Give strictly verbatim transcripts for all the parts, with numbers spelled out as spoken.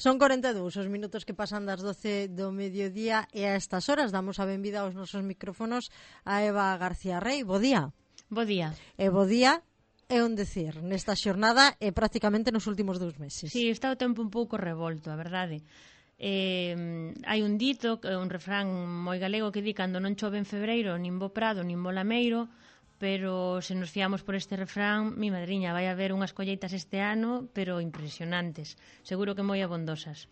Son corenta e dous os minutos que pasan das doce do mediodía e a estas horas damos a benvida aos nosos micrófonos a Eva García Rey. Bo día. Bo día. E bo día é un decir nesta xornada e prácticamente nos últimos dous meses. Sí, está o tempo un pouco revolto, a verdade. Eh, hai un dito, un refrán moi galego que di cando non chove en febreiro, nin bo prado, nin bo lameiro, pero se nos fiamos por este refrán, mi madriña, vai haber unhas colleitas este ano, pero impresionantes, seguro que moi abondosas.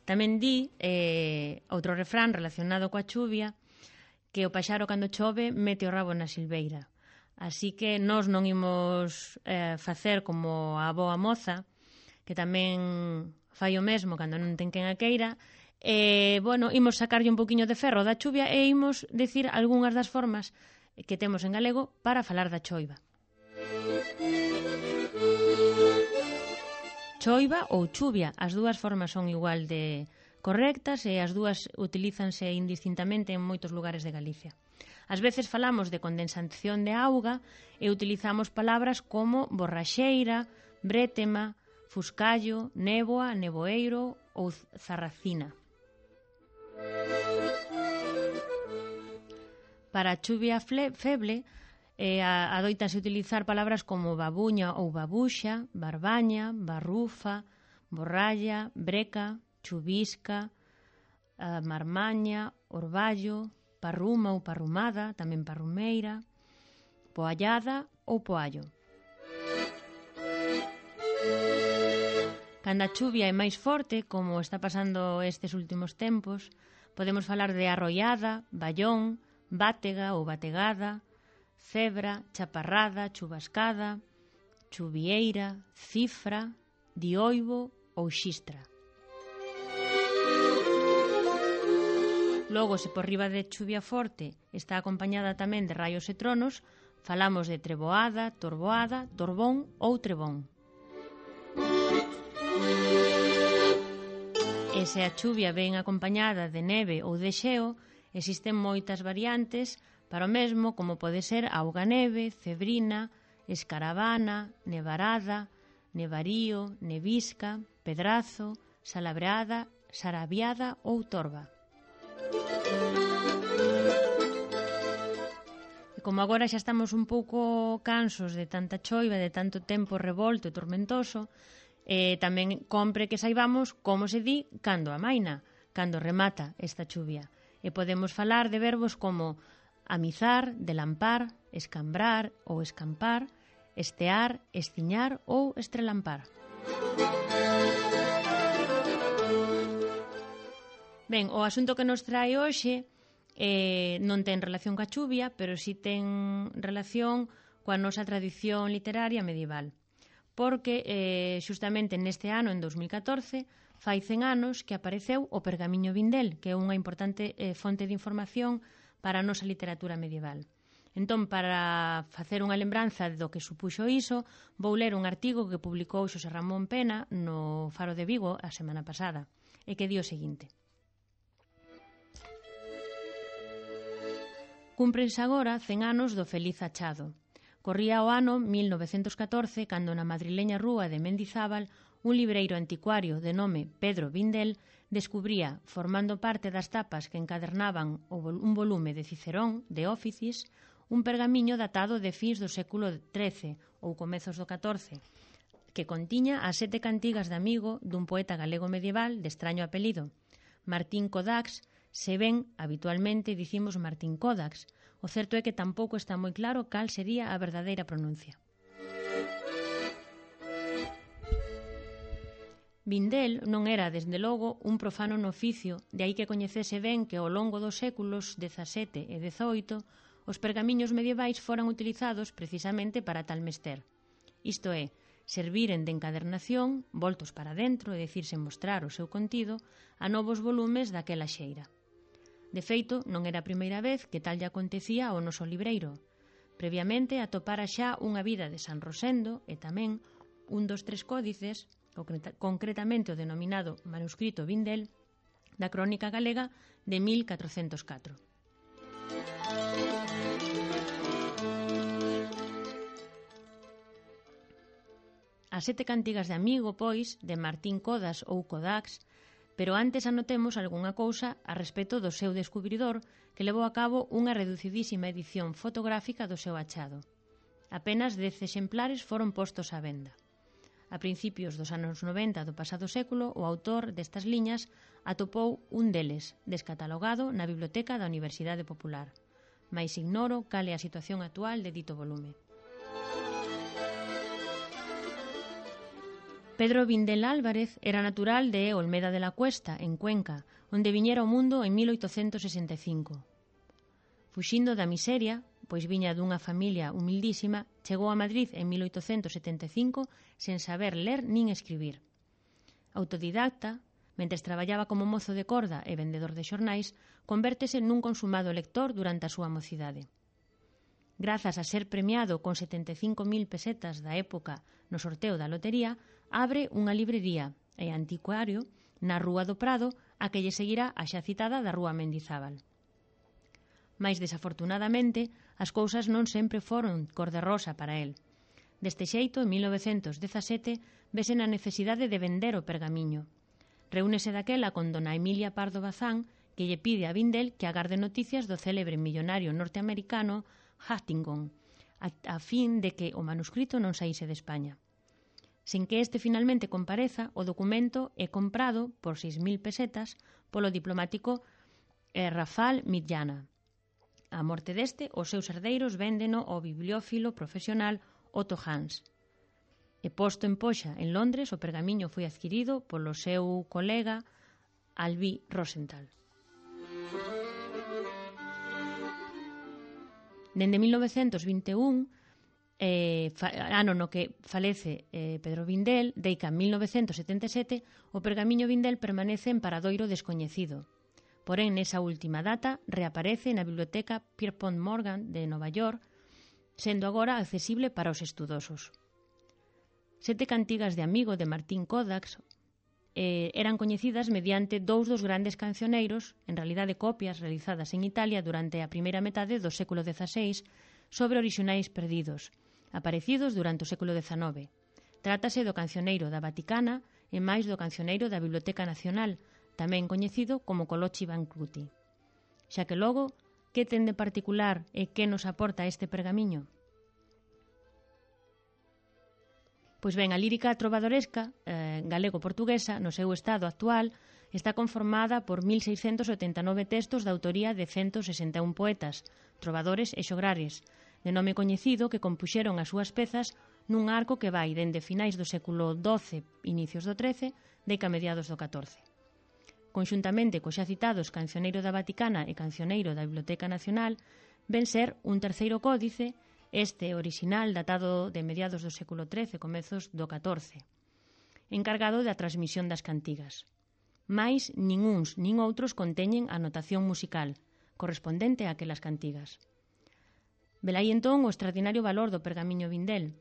Tamén di eh, outro refrán relacionado coa chuvia, que o paxaro cando chove mete o rabo na silveira. Así que nós non imos eh, facer como a boa moza, que tamén fai o mesmo cando non ten quen a queira, e, bueno, imos sacarlle un poquinho de ferro da chuvia e imos decir algunhas das formas que temos en galego para falar da choiva. Choiva ou chuvia, as dúas formas son igual de correctas e as dúas utilízanse indistintamente en moitos lugares de Galicia. Ás veces falamos de condensación de auga e utilizamos palabras como borraxeira, brétema, fuscallo, néboa, neboeiro ou zarracina. Para a chuvia feble, eh, adoitanse utilizar palabras como babuña ou babuxa, barbaña, barrufa, borralla, breca, chuvisca, eh, marmaña, orballo, parruma ou parrumada, tamén parrumeira, poallada ou poallo. Cando a chuvia é máis forte, como está pasando estes últimos tempos, podemos falar de arroiada, ballón, bátega ou bategada, cebra, chaparrada, chubascada, chuvieira, cifra, dioibo ou xistra. Logo, se por riba de chuvia forte está acompañada tamén de raios e tronos, falamos de treboada, torboada, torbón ou trebón. E se a chuvia ven acompañada de neve ou de xeo, existen moitas variantes para o mesmo, como pode ser auga-neve, cebrina, escaravana, nevarada, nevarío, nevisca, pedrazo, salabreada, sarabiada ou torba. E como agora xa estamos un pouco cansos de tanta choiva, de tanto tempo revolto e tormentoso, eh, tamén compre que saibamos como se di cando amaina, cando remata esta chuvia. E podemos falar de verbos como amizar, delampar, escambrar ou escampar, estear, estiñar ou estrelampar. Ben, o asunto que nos trae hoxe eh, non ten relación coa chuvia, pero si ten relación coa nosa tradición literaria medieval. Porque eh, xustamente neste ano, en dos mil catorce, fai cen anos que apareceu o Pergamiño Vindel, que é unha importante eh, fonte de información para a nosa literatura medieval. Entón, para facer unha lembranza do que supuxo iso, vou ler un artigo que publicou Xosé Ramón Pena no Faro de Vigo a semana pasada, e que di o seguinte. Cúmprense agora cen anos do feliz achado. Corría o ano mil novecentos catorce cando na madrileña rúa de Mendizábal un libreiro anticuario de nome Pedro Vindel descubría, formando parte das tapas que encadernaban un volume de Cicerón, de Óficis, un pergamiño datado de fins do século trece ou comezos do catorce, que contiña as sete cantigas de amigo dun poeta galego medieval de extraño apelido, Martín Codax. Se ben, habitualmente dicimos Martín Codax, o certo é que tampouco está moi claro cal sería a verdadeira pronuncia. Vindel non era, desde logo, un profano no oficio, de aí que coñecese ben que ao longo dos séculos dezasete e dezoito os pergamiños medievais foran utilizados precisamente para tal mester. Isto é, serviren de encadernación, voltos para dentro, é dicir, sen mostrar o seu contido, a novos volumes daquela xeira. De feito, non era a primeira vez que tal lle acontecía ao noso libreiro. Previamente atopara xa unha vida de San Rosendo e tamén un dos tres códices, concretamente o denominado manuscrito Vindel, da Crónica Galega de mil catrocentos catro. As sete cantigas de amigo, pois, de Martín Codas ou Codax, pero antes anotemos algunha cousa a respecto do seu descubridor que levou a cabo unha reducidísima edición fotográfica do seu achado. Apenas dez exemplares foron postos á venda. A principios dos anos noventa do pasado século, o autor destas liñas atopou un deles, descatalogado na biblioteca da Universidade Popular. Mais ignoro cal é a situación actual de dito volume. Pedro Vindel Álvarez era natural de Olmeda de la Cuesta, en Cuenca, onde viñera ao mundo en mil oitocentos sesenta e cinco. Fuxindo da miseria, pois viña dunha familia humildísima, chegou a Madrid en mil oitocentos setenta e cinco sen saber ler nin escribir. Autodidacta, mentres traballaba como mozo de corda e vendedor de xornais, convértese nun consumado lector durante a súa mocidade. Grazas a ser premiado con setenta e cinco mil pesetas da época no sorteo da lotería, abre unha librería e anticuario na Rúa do Prado, a que lle seguirá a xa citada da Rúa Mendizábal. Mais desafortunadamente, as cousas non sempre foron cor de rosa para el. Deste xeito, en mil novecentos dezasete, vese na necesidade de vender o pergamiño. Reúnese daquela con dona Emilia Pardo Bazán, que lle pide a Vindel que agarde noticias do célebre millonario norteamericano Huntington, a, a fin de que o manuscrito non saíse de España. Sen que este finalmente compareza, o documento é comprado por seis mil pesetas polo diplomático eh, Rafal Midjana. A morte deste, os seus herdeiros véndeno ao bibliófilo profesional Otto Hans. E posto en poxa en Londres, o pergamiño foi adquirido polo seu colega Alby Rosenthal. Dende mil novecentos vinte e un, eh, fa, ano no que falece eh, Pedro Vindel, deica mil novecentos setenta e sete, o pergamiño Vindel permanece en paradoiro descoñecido. Porén, nesa última data, reaparece na biblioteca Pierpont Morgan de Nova York, sendo agora accesible para os estudosos. Sete cantigas de amigo de Martín Codax eh, eran coñecidas mediante dous dos grandes cancioneiros, en realidade copias realizadas en Italia durante a primeira metade do século dezaseis, sobre orixinais perdidos, aparecidos durante o século dezanove. Trátase do cancioneiro da Vaticana e máis do cancioneiro da Biblioteca Nacional, tamén coñecido como Colochi Bancruti. Xa que logo, que ten de particular e que nos aporta este pergamiño? Pois ben, a lírica trovadoresca eh, galego-portuguesa, no seu estado actual, está conformada por mil seiscentos setenta e nove textos de autoría de ciento sesenta e un poetas, trovadores e xograres, de nome coñecido que compuxeron as súas pezas nun arco que vai dende finais do século doce, inicios do trece, deca mediados do catorce. Conxuntamente co xa citados Cancioneiro da Vaticana e Cancioneiro da Biblioteca Nacional, ven ser un terceiro códice, este orixinal datado de mediados do século trece, comezos do catorce, encargado da transmisión das cantigas. Mais nin uns nin outros conteñen a notación musical, correspondente a aquelas cantigas. Velai entón o extraordinario valor do pergamiño Vindel.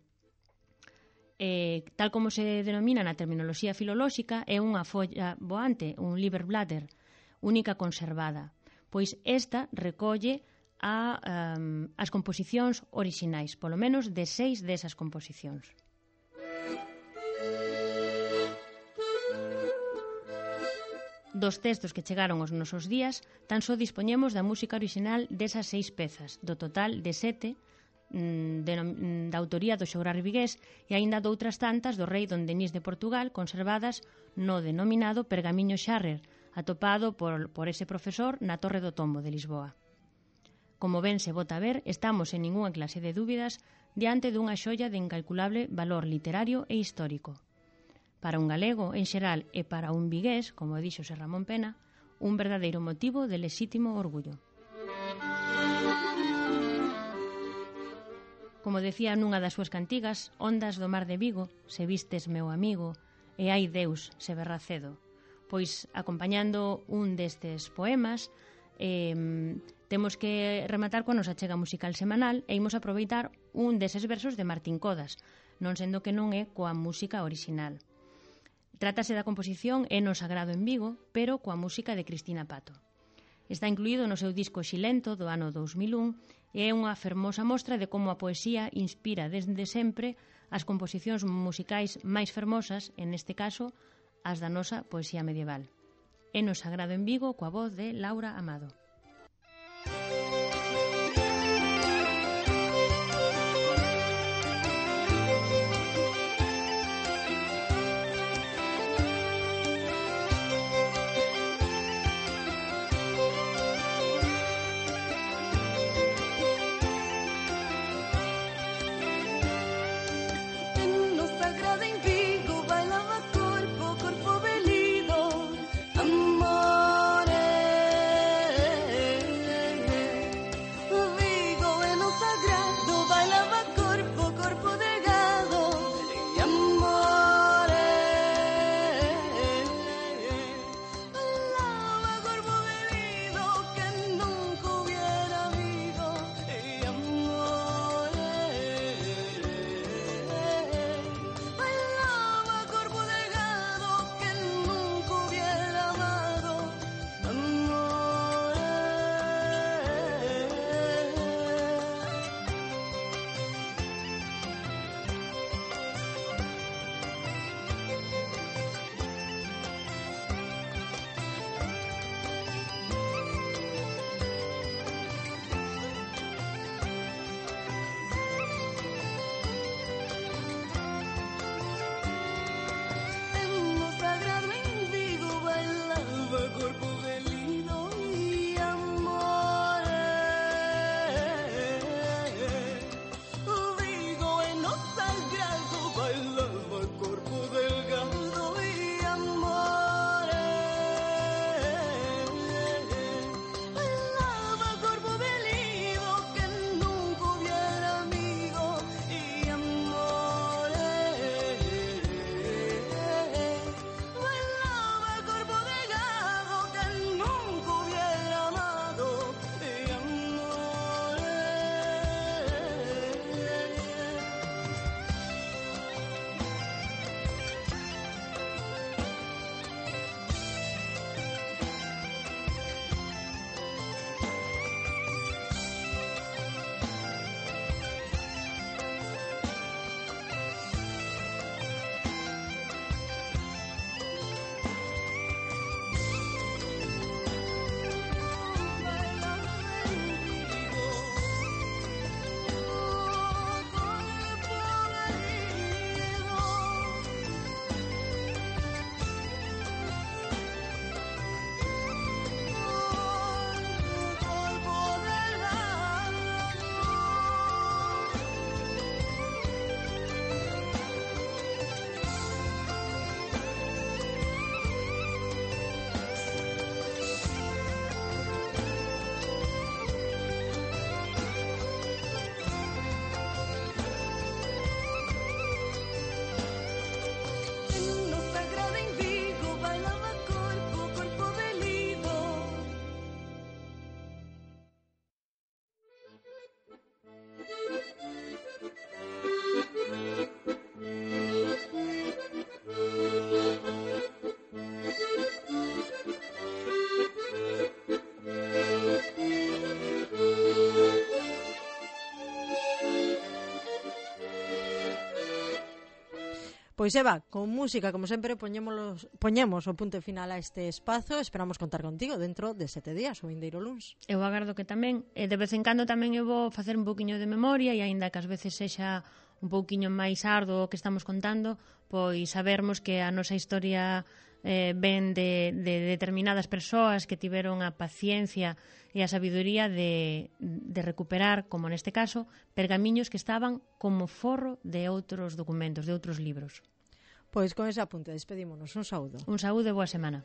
Eh, tal como se denomina na terminoloxía filolóxica, é unha folla voante, un Liberblätter, única conservada, pois esta recolle a, um, as composicións orixinais, polo menos de seis desas composicións. Dos textos que chegaron aos nosos días, tan só dispoñemos da música orixinal desas seis pezas, do total de sete, de, da autoría do xograr vigués e aínda doutras tantas do rei don Denis de Portugal conservadas no denominado Pergamiño Xarrer, atopado por, por ese profesor na Torre do Tombo de Lisboa. Como ben se bota a ver, estamos en ningunha clase de dúbidas diante dunha xoia de incalculable valor literario e histórico. Para un galego en xeral e para un vigués, como dixo Ser Ramón Pena, un verdadeiro motivo de lexítimo orgullo. Como decía nunha das súas cantigas, ondas do mar de Vigo, se vistes meu amigo, e ai Deus, se berra cedo. Pois, acompañando un destes poemas, eh, temos que rematar coa nosa chega musical semanal e imos aproveitar un deses versos de Martín Codas, non sendo que non é coa música orixinal. Trátase da composición Eno Sagrado en Vigo, pero coa música de Cristina Pato. Está incluído no seu disco Xilento do ano dous mil un e é unha fermosa mostra de como a poesía inspira desde sempre as composicións musicais máis fermosas, en este caso, as da nosa poesía medieval. É no Sagrado en Vigo coa voz de Laura Amado. Pois Eva, con música, como sempre, poñemos, poñemos o punto final a este espazo. Esperamos contar contigo dentro de sete días, o vindeiro luns. Eu agardo que tamén, e de vez en cando tamén eu vou facer un pouquiño de memoria, e aínda que ás veces sexa un pouquiño máis arduo o que estamos contando, pois sabermos que a nosa historia eh, ven de, de determinadas persoas que tiveron a paciencia e a sabiduría de, de recuperar, como neste caso, pergamiños que estaban como forro de outros documentos, de outros libros. Pois con ese apunte despedímonos. Un saúdo. Un saúdo e boa semana.